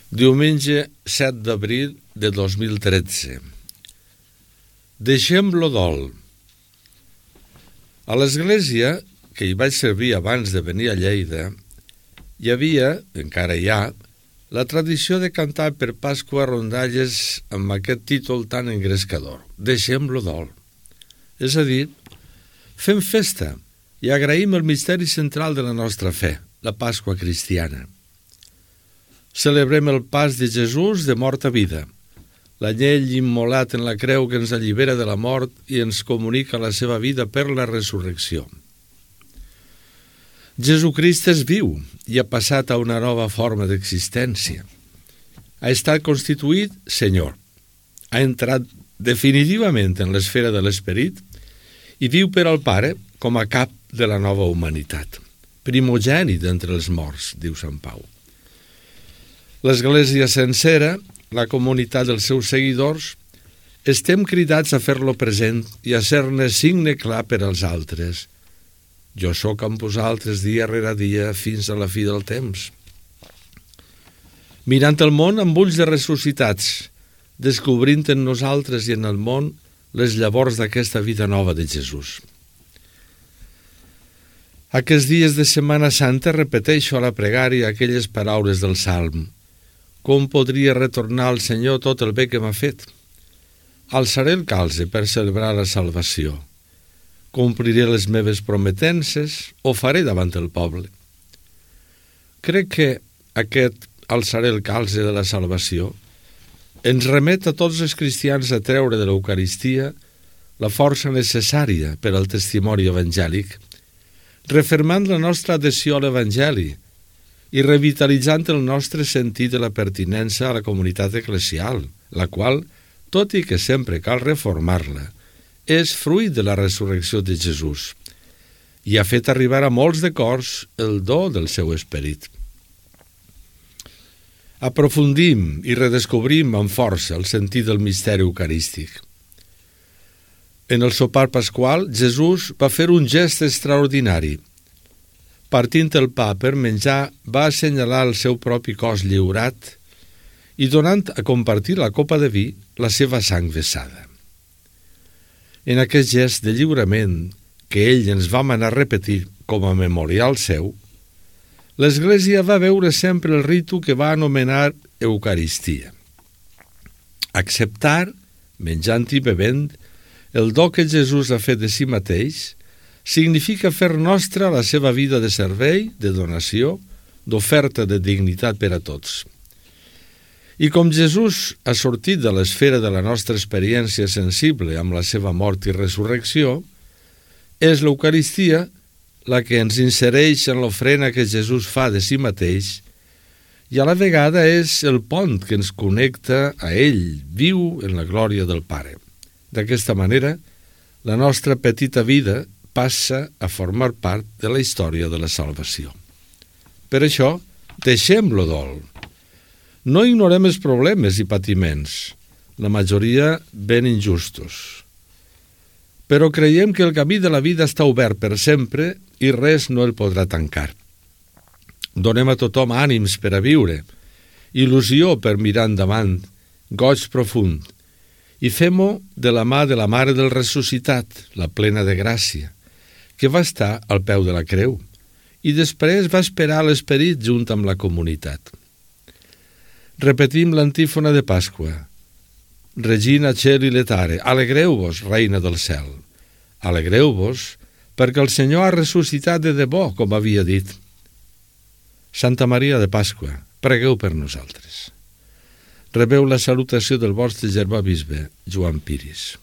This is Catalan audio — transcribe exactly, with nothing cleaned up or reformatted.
Diumenge set d'abril de dos mil tretze. Deixem-lo dol. A l'església, que hi vaig servir abans de venir a Lleida, hi havia, encara hi ha, la tradició de cantar per Pasqua rondalles amb aquest títol tan engrescador, Deixem-lo dol. És a dir, fem festa i agraïm el misteri central de la nostra fe, la Pasqua cristiana. Celebrem el pas de Jesús de mort a vida, l'anyell immolat en la creu que ens allibera de la mort i ens comunica la seva vida per la resurrecció. Jesucrist és viu i ha passat a una nova forma d'existència. Ha estat constituït Senyor. Ha entrat definitivament en l'esfera de l'esperit i viu per al Pare com a cap de la nova humanitat. Primogènit entre els morts, diu Sant Pau. L'Església sencera, la comunitat dels seus seguidors, estem cridats a fer-lo present i a ser-ne signe clar per als altres. Jo sóc amb vosaltres dia rere dia fins a la fi del temps. Mirant el món amb ulls de ressuscitats, descobrint en nosaltres i en el món les llavors d'aquesta vida nova de Jesús. Aquests dies de Setmana Santa repeteixo a la pregària aquelles paraules del Salm. Com podria retornar al Senyor tot el bé que m'ha fet? Alçaré el calze per celebrar la salvació. Compliré les meves prometences o faré davant el poble. Crec que aquest alçaré el calze de la salvació ens remet a tots els cristians a treure de l'Eucaristia la força necessària per al testimoni evangèlic, refermant la nostra adhesió a l'Evangeli i revitalitzant el nostre sentit de la pertinença a la comunitat eclesial, la qual, tot i que sempre cal reformar-la, és fruit de la resurrecció de Jesús i ha fet arribar a molts de cors el do del seu esperit. Aprofundim i redescobrim amb força el sentit del misteri eucarístic. En el sopar pasqual, Jesús va fer un gest extraordinari. Partint el pa per menjar, va assenyalar el seu propi cos lliurat i donant a compartir la copa de vi la seva sang vessada. En aquest gest de lliurament que ell ens va manar repetir com a memorial seu, l'Església va veure sempre el ritu que va anomenar Eucaristia. Acceptar, menjant i bevent, el do que Jesús ha fet de si mateix significa fer nostra la seva vida de servei, de donació, d'oferta de dignitat per a tots. I com Jesús ha sortit de l'esfera de la nostra experiència sensible amb la seva mort i resurrecció, és l'Eucaristia la que ens insereix en l'ofrena que Jesús fa de si mateix i a la vegada és el pont que ens connecta a ell, viu en la glòria del Pare. D'aquesta manera, la nostra petita vida passa a formar part de la història de la salvació. Per això, deixem-lo dol. No ignorem els problemes i patiments, la majoria ben injustos. Però creiem que el camí de la vida està obert per sempre i res no el podrà tancar. Donem a tothom ànims per a viure, il·lusió per mirar endavant, goig profund, i fem-ho de la mà de la Mare del Ressuscitat, la plena de gràcia, que va estar al peu de la creu i després va esperar l'esperit junt amb la comunitat. Repetim l'antífona de Pasqua. Regina Celi Letare, alegreu-vos, reina del cel. Alegreu-vos perquè el Senyor ha ressuscitat de debò, com havia dit. Santa Maria de Pasqua, pregueu per nosaltres. Rebeu la salutació del vostre germà bisbe, Joan Piris.